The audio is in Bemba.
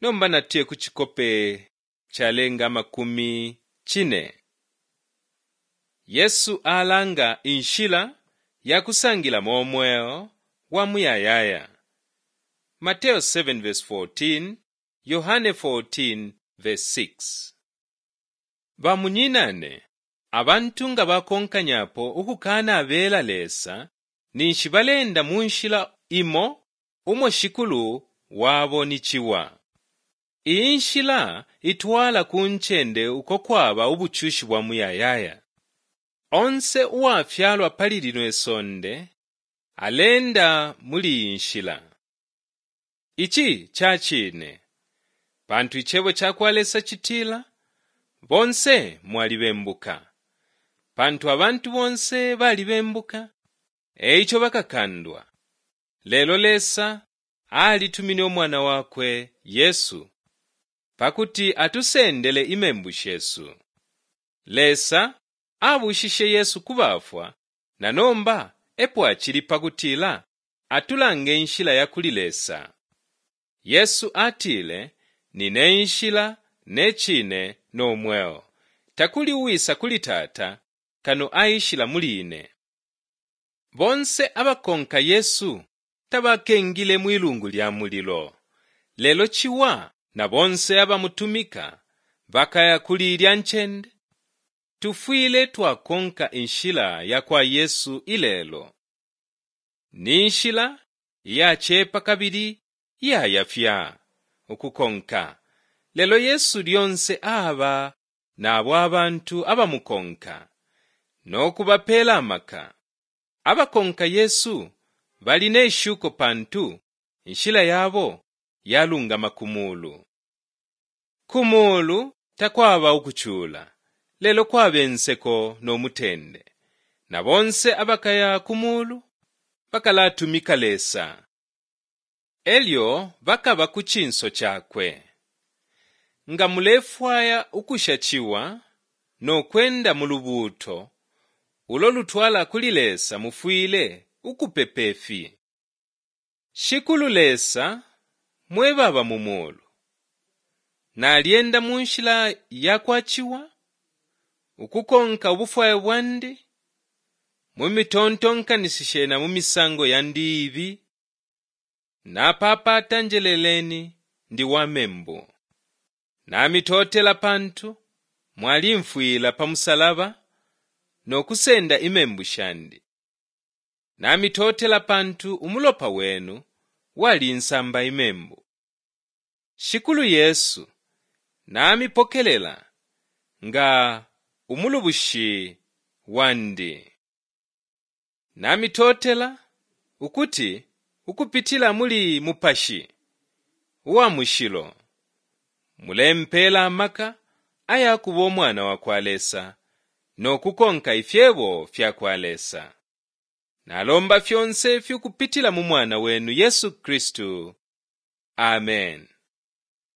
Nomba natuye ku cikope calenga 40. Yesu alanga inshila ya kusangilamo umweo wa muyayaya. Mateo 7:14, Yohane 14:6. Bamunyinane, abantu nga bakonkanyapo ukukanabela Lesa, ninshi baleenda mu nshila imo umo shikulu wabo ni Ciwa. Iyi nshila itwala ku ncende uko kwaba ubucushi bwa muyayaya. Onse uwafyalwa pali lino isonde aleenda muli iyi nshila. Ici ca cine, pantu icebo ca kwa Lesa citila, bonse mwalibembuka. Pantu abantu bonse balibembuka, eico bakakandwa. Lelo Lesa alitumine Umwana wakwe, Yesu, pakuti atusendele imembu shesu. Lesa abuushishe Yesu ku bafwa na nomba epo acili pakutila atulange inshila ya kuli Lesa. Yesu atile, Nine nshila, ne cine, no mweo. Takuli uwisa kuli Tata kano aishila muli ine. Bonse abakonka Yesu tabakengile mwi lungu lya mulilo. Lelo Ciwa na bonse abamutumika bakaya kuli ilya ncende. Tufwile twakonka inshila ya kwa Yesu ilelo. Ni nshila iyacepa kabili iyayafya ukukonka. Lelo Yesu lyonse aba na abo abantu abamukonka no kubapeela amaka. Abakonka Yesu bali ne shuko pantu inshila yabo yalungama ku muulu. Ku muulu takwaba ukucula, lelo kwaba inseko no mutende. Na bonse abakaya ku muulu bakalatumika Lesa. Elyo bakaba ku cinso cakwe. Nga mulefwaya ukusha Ciwa no kwenda mu lubuuto ulo lutwala kuli Lesa mufwile ukupepa ifi: Shikulu Lesa mwe baba mu muulu, nalyenda mu nshila ya kwa Ciwa, ukukonka ubufwayo bwandi, mu mitontonkanishishe na mu misango yandi iibi. Napaapaata njeleleni ndi wa membu. Namitotela pantu mwalimfwila pa musalaba no kusenda imembu shandi. Namitotela pantu umulopa wenu walinsamba imembu. Shikulu Yesu, namipokelela nga umulubushi wandi. Namitotela ukuti ukupitila muli Mupashi uwa Mushilo mulempeela amaka aya kuba umwana wa kwa Lesa no kukonka ifyebo fya kwa Lesa. Nalomba fyonse ifi ukupitila mu Mwana wenu Yesu Kristu. Amen.